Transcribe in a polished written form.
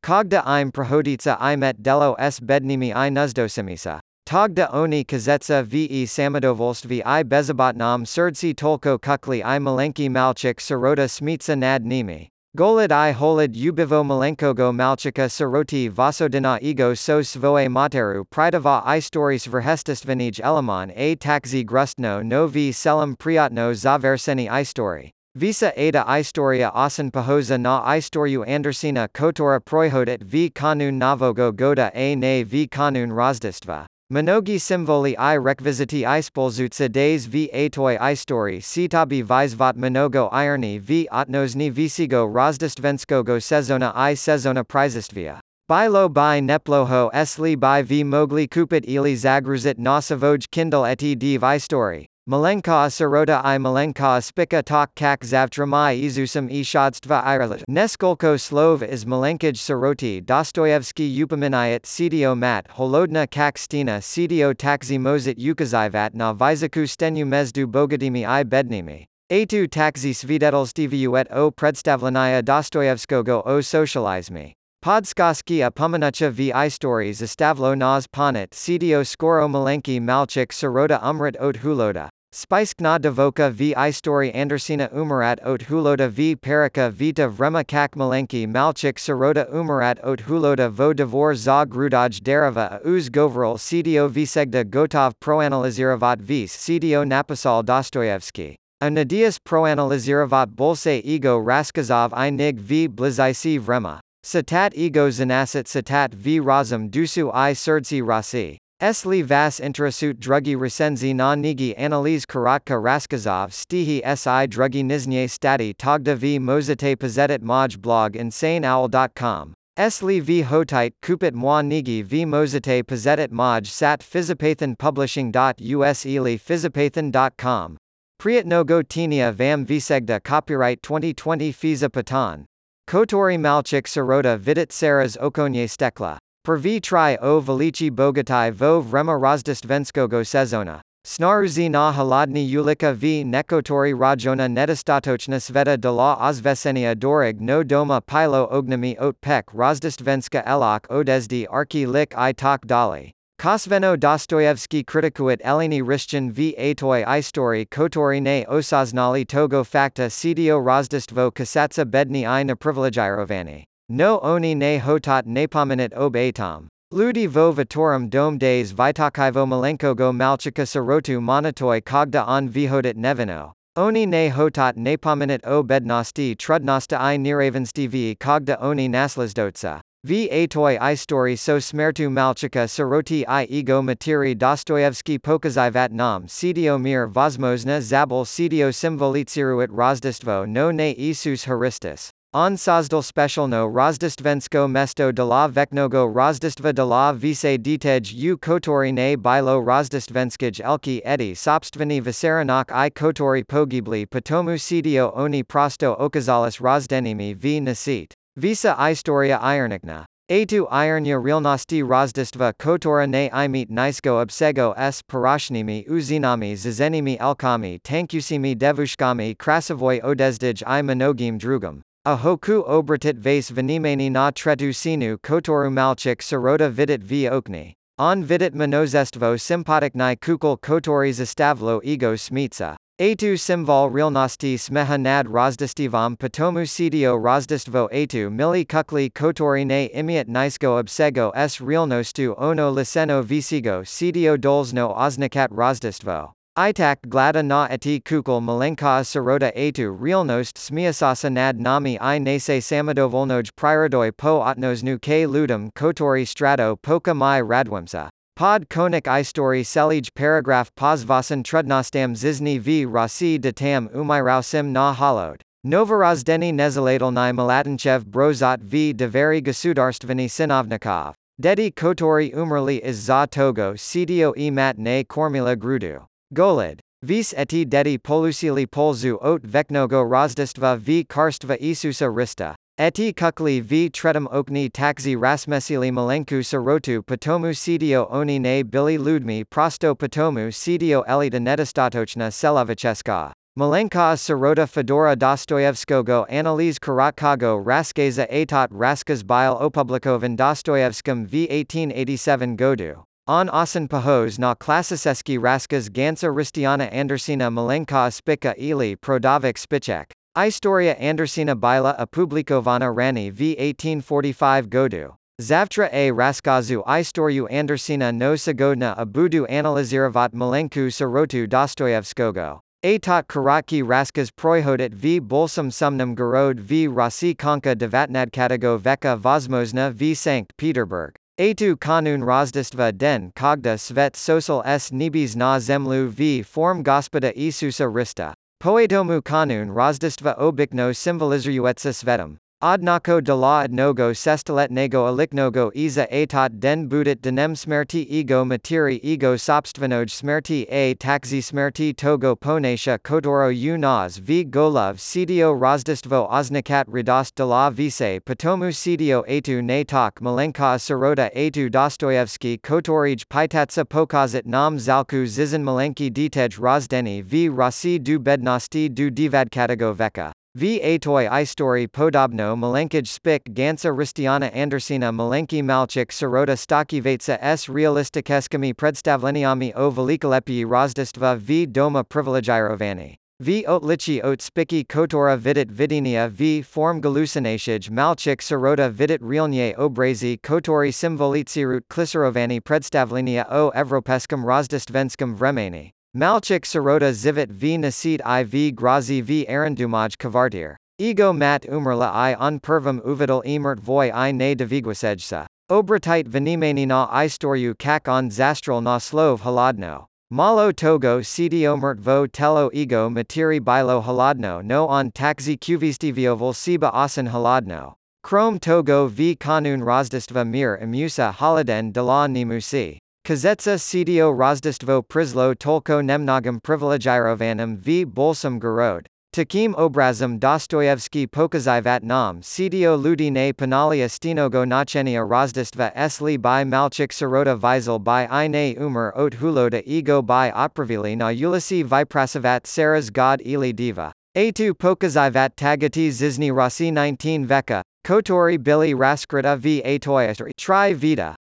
Kogda im prahoditsa imet delo s bednimi I nuzdosimisa. Togda oni kazetsa ve samadovolstvi I bezabotnam surdsi tolko kukli I malenki malchik sirota smitsa nad nimi. Golid I holid ubivo malenkogo malchika siroti vasodina ego so svoe materu pridava I stories verhestistvnij eleman a taxi grustno no v selam priatno zaverseni I story. Visa ada istoria osan pahoza na istoriu andersina kotora proihodit v kanun navogo goda a ne v kanun razdistva. Mnogi simvoli I rekviziti ispolzutsa days v atoi istori sitabi vizvat mnogo irni v otnozni visigo razdistvenskogo sezona I sezona prizistvia. Bilo by neploho esli by v mogli kupit ili zagruzit na savoj kindle eti div istori. Malenka sirota I malenka spika tak kak zavtramai izusam ishadstva iralit. Neskolko slov is malenkij siroti Dostoyevsky upaminayat cdo mat holodna kak stina cdo taxi mozit ukazivat na vizaku stenu mezdu bogadimi I bednimi. A2 taxi svidetelstiviu et o predstavlenia Dostoyevskogo o socializmi. Podskaski a pomenucha v istories estavlo nas ponit cdo skoro malenki malchik sirota umrat ot huloda. Spiskna devoka v istory andersina umarat ot huloda v parika vita vrema kak malenki malchik sirota umarat ot huloda vo devor za grudaj dereva a uz govril cdo visegda gotov proanaliziravat vis cdo napisal Dostoyevsky. A nadias proanaliziravat bolse ego raskazov I nig v blizisi vrema. Satat ego zanasat satat v razum dusu I surdsi rasi. Esli vas interesut drugi resenzi na nigi analiz karatka raskazov stihi si drugi niznye stati togda v mozite pazetit moj blog insaneowl.com. Esli v hotit kupit moi nigi v mozite pazetit moj sat fizipathan publishing.us ili fizipathan.com. Priatnogo tinia vam visegda copyright 2020 Fiza Patan. Kotori malchik sirota vidit saras okonye stekla. Prvi tri o velichi bogatai vo vrema razdistvenskogo sezona. Snaruzi na haladni ulika v nekotori rajona nedostatochna sveta de la ozvesenia dorig no doma pilo ognami ot pek razdistvenska elok odesdi arki lik I tak dali. Kosveno Dostoyevsky kritikuit elini rishchan v atoi istori kotori ne osaznali togo fakta cdo razdistvo kasatsa bedni I neprivilegirovani. No oni ne hotat nepominit ob atom. Ludi vo vitorum dom days vitakaivo malenkogo malchika sirotu monitoi kogda on vihodit nevino. Oni ne hotat nepominit o bednosti trudnosta I niravensti v kogda oni naslzdotsa. V atoi istori so smertu malchika siroti I ego materi Dostoyevsky pokazivat nam cdo mir vozmozna zabel cdo simvolitsiruit razdistvo no ne isus haristis. On sazdal specialno razdistvensko mesto de la veknogo razdistva de la vise ditej u kotori ne bilo razdistvenskij elki edi sobstveni visaranak I kotori pogibli potomu cdo oni prosto okazalis razdenimi v nasit. Visa istoria ironikna. A2 irnya realnosti razdistva kotora ne imit nisko obsego s parashnimi uzinami zazenimi elkami tankusimi devushkami krasavoy odezdij I monogim drugam. A hoku obratit vase venimani na tretu sinu kotoru malchik sirota vidit v okni. On vidit monozestvo sympatikni kukul kotori zastavlo ego smitsa. A2 simval realnosti smeha nad razdistivam potomu cdo razdistvo A2 mili kukli kotori ne imiat nisko obsego s realnostu ono liseno visigo cdo dolzno oznakat razdistvo. Itak glada na eti kukul malenka sirota A2 realnost smiasasa nad nami I nase samadovolnoj prirodoi po otnosnu k ludum kotori strato poka mai radwimsa. Pod konik istori selij paragraph pozvasan trudnostam zizni v rasi datam umirausim na holod. Novorozdeni nezaletelny malatinchev brozot v deveri gasudarstveni sinovnikov. Dedi kotori umrli iz za togo cdo e mat ne kormila grudu. Golid. Vis eti dedi polusili polzu ot veknogo razdistva v karstva isusa rista. Eti kukli v tretum okni taxi rasmesili malenku sirotu potomu cdo oni ne bili ludmi prosto potomu cdo elita nedostatochna selovicheska. Malenka Sirota Fedora Dostoyevskogo Analyz Karatkago Raskeza Atot Raskas Bile Opublikovan Dostoyevskim v 1887 Godu. On Osan Pahoz na Klasiseski Raskas Gansa Ristiana Andersina Malenka Spika Ili Prodavik Spichek. Istoria Andersina Bila Opublikovana Rani v 1845 Godu. Zavtra a Raskazu Istoryu Andersina no Sagodna Abudu Analiziravat Malenku Sirotu Dostoyevskogo. Atot Karatki Raskas Proihodit v Bolsum Sumnum Garod v Rasi Konka Devatnadkatago Veka Vozmozna v Sankt Peterburg. Atu Kanun Rozdistva den Kogda Svet Sosal s Nibis na Zemlu v Form Gospoda Isusa Rista. Poetomu Kanun Rozdistva Obikno Symbolizruetsa Svetum. Odnako de la adnogo sestiletnego aliknogo iza atot den budit denem smerti ego materi ego sobstvenoj smerti a taxi smerti togo ponasha kotoro u nas v golov cdo rozdistvo oznakat radost de la vise potomu cdo atu na tok malenka sirota atu Dostoyevsky kotorij pitatsa pokazit nam zalku zizan malenki ditej rozdeni v rasi du bednosti du divadkatago veka. V. Atoy Istori Podobno Malenkij Spik Gansa Ristiana Andersina Malenki Malchik Sirota Stokivatsa s Realistikeskimi Predstavleniami o Velikolepii Rozdistva v Doma Privilegirovani. V. Otlichi Ot Spiki Kotora Vidit Vidinia v Form Galusinashij Malchik Sirota Vidit Realnie Obrazi Kotori Simvolitsirut Kliserovani Predstavlenia o Evropeskum Rozdistvenskum Vremeni. Malchik Sirota Zivit v Nasit I v Grazi v Arandumaj Kavartir. Ego mat umrla I on pervam uvidal emert voy I ne deviguasejsa. Obratit venimani na istoryu kak on zastral na slov haladno. Malo togo cdo vo telo ego materi bilo haladno no on taxi qvstivioval siba asan haladno. Krom togo v kanun rozdistva mir imusa haladen de la nimusi. Kazetsa cdo rozdistvo prizlo tolko nemnogam privilegirovanam v bolsum garod. Takim obrazem Dostoyevsky pokazivat nam cdo ludi ne panalia stinogo nachenia rozdistva s li by malchik sirota vizel by I ne umar ot huloda ego by opravili na ulisi viprasavat saras god ili diva. A2 pokazivat tagati zizny rasi 19 veka. Kotori bili raskrita v atoyastri tri vita.